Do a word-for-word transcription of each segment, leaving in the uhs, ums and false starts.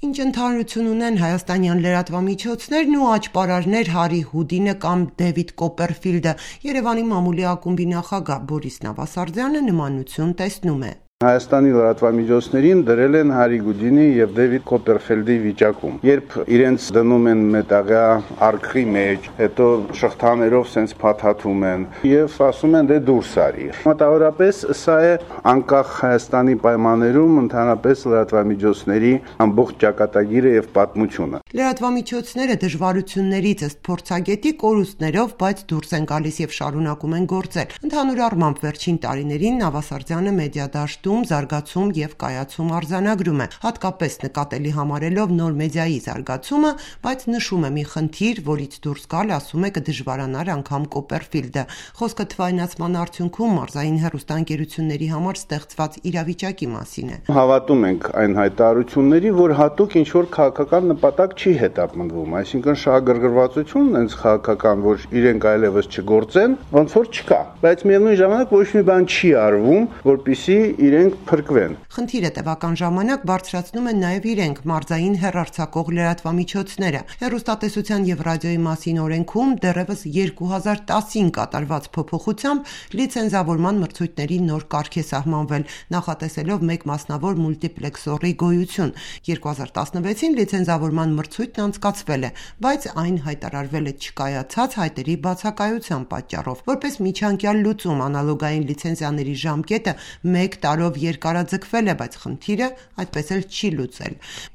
Ինչ ընդհանրություն ունեն հայաստանյան լրատվամիջոցներն ու աճպարարներ Հարի Հուդինը կամ Դեվիդ Կոպերֆիլդը, Երևանի մամուլի ակումբի նախագահ Բորիս Նավասարդյանը նմանություն տեսնում է։ Հայաստանի լրատվամիջոցներին դրել են Հարի Հուդինի եւ Դեվիդ Կոպերֆիլդի վիճակում։ Երբ իրենց դնում են մետաղյա արքրի մեջ, հետո շղթաներով սենց փաթաթում են եւ ասում են դե դուրս արի։ Մոտավորապես սա է անկախ Հայաստանի պայմաններում ընդհանրապես լրատվամիջոցների ամբողջ ճակատագիրը եւ պատմությունը։ Լրատվամիջոցները դժվարություններից ըստ փորձագետի կորուստներով, բայց դուրս են գալիս եւ շարունակում են գործել։ Ընդհանուր առմամբ վերջին տարիներին Նավասարդյանը մեդիա դաշտում զարգացում եւ կայացում արձանագրում է, հատկապես նկատելի համարելով նոր մեդիայի զարգացումը, բայց նշում է մի խնդիր, որից դուրս գալ, ասում է, կդժվարանար անգամ Կոպերֆիլդը։ Խոսքը թվայնացման արդյունքում մարզային հեռուստաընկերությունների համար ստեղծված իրավիճակի մասին է։ Հավատում ենք այն հայտարարությունների, որ հատուկ ինչ որ քաղաքական նպատակ չի հետապնդվում, այսինքն շահագրգռվածություն այնց քաղաքական, որ իրենք այլևս չգործեն, ոնց որ չկա, բայց միևնույն ժամանակ ոչ մի բան չի արվում, որպեսզի իրենք փրկվեն։ Խնդիրը տևական ժամանակ բարձրացնում են նաև իրենք մարզային հեռարձակող լրատվամիջոցները։ Հեռուստատեսության եւ ռադիոյի մասին օրենքում դեռևս երկու հազար տասին կատարված փոփոխությամբ լիցենզավորման մրցույթների նոր կարգ է սահմանվել, նախատեսելով մեկ մասնավոր մուլտիպլեքսորի գոյություն։ երկու հազար տասնվեցին լիցենզավորման մրցույթն անցկացվել է, բայց այն հայտարարվել է չկայացած հայտերի բացակայության պատճառով։ Որպես միջանկյալ լուծում անալոգային լիցենզիաների ժամկետը մեկ տարով երկարաձգվել է, բայց խնդիրը այդպես էլ չի լուծել։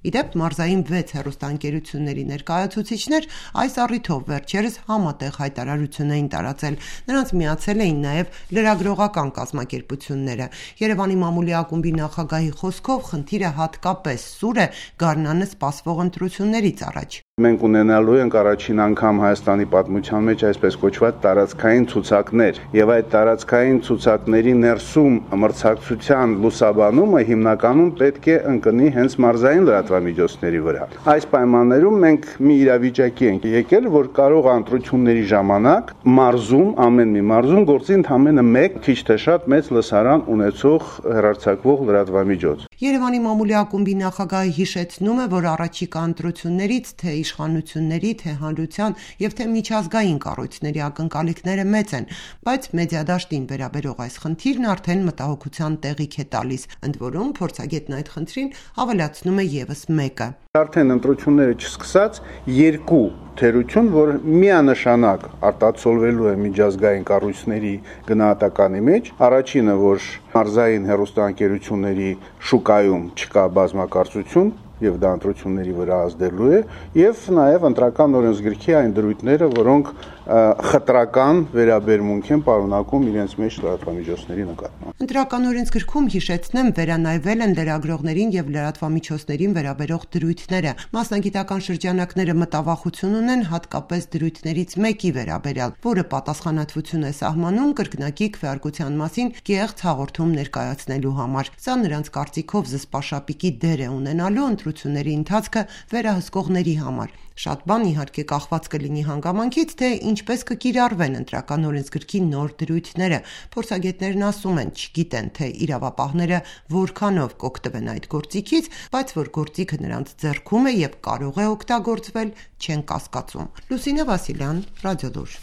Իդեպ մարզային վեց հեռուստաընկերությունների ներկայացուցիչներ այս առիթով վերջերս համատեղ հայտարարություն էին տարածել։ Նրանց միացել էին նաև լրագրողական կազմակերպությունները։ Երևանի մամուլի ակումբի նախագահի խոսքով խնդիրը հատկապես սուր է գարնանը սպասվող ընտրություններից առաջ։ Մենք ունենալու ենք առաջին անգամ Հայաստանի պատմության մեջ այսպես կոչված տարածքային ցուցակներ, եւ այդ տարածքային ցուցակների ներսում մրցակցության լուսաբանումը հիմնականում պետք է ընկնի հենց մարզային լրատվամիջոցների վրա։ Այս պայմաններում մենք մի իրավիճակի ենք եկել, որ կարող ընտրությունների ժամանակ մարզում, ամեն մի մարզում գործի ընդամենը մեկ քիչ թե շատ մեծ լսարան ունեցող հեռարձակվող լրատվամիջոց։ Երևանի մամուլի ակումբի նախագահը հիշեցնում է, որ առաջիկա ընտրություններից թե իշխանությունների, թե հանրության եւ թե միջազգային կառույցների ակնկալիքները մեծ են, բայց մեդիադաշտին վերաբերող այս խնդիրն արդեն մտահոգության տեղիք է տալիս, ընդ որում փորձագետն այդ խնդրին ավելացնում է եւս մեկը։ Արդեն ընտրությունները չսկսած երկու թերություն, որ միանշանակ արտացոլվելու է միջազգային կառույցների գնահատականի մեջ, առաջինը, որ մարզային հեռուստաընկերությունների շուկայում չկա բազմակարծություն եւ դա ընտրությունների վրա ազդելու է, եւ նաեւ ընտրական օրենսգրքի այն դրույթները, որոնք խտրական վերաբերմունք են պարունակում իրենց մեջ լրատվամիջոցների նկատմամբ։ Ընտրական օրենսգրքում հիշեցնեմ վերանայվել են լրագրողներին եւ լրատվամիջոցներին վերաբերող դրույթները։ Մասնագիտական շրջանակները մտավախություն ունեն հատկապես դրույթներից մեկի վերաբերյալ, որը պատասխանատվություն է սահմանում կրկնակի քվեարկության մասին կեղծ հաղորդում ներկայացնելու համար։ Սա նրանց կարծիքով զսպաշապիկի դեր է ունենալու ընտրությունների ընթացքը վերահսկողների համար։ Շատ բան իհարկե կախված կլինի հանգամանքից, թե ինչպես կկիրառվեն ընտրական օրենսգրքի նոր դրույթները։ Փորձագետներն ասում են, չգիտեն, թե իրավապահները որքանով կօգտվեն այդ գործիքից, բայց որ գործիքը նրանց ձեռքում է եւ կարող է օգտագործվել, չեն կասկածում։ Լուսինե Վասիլյան, Ռադիոլուր։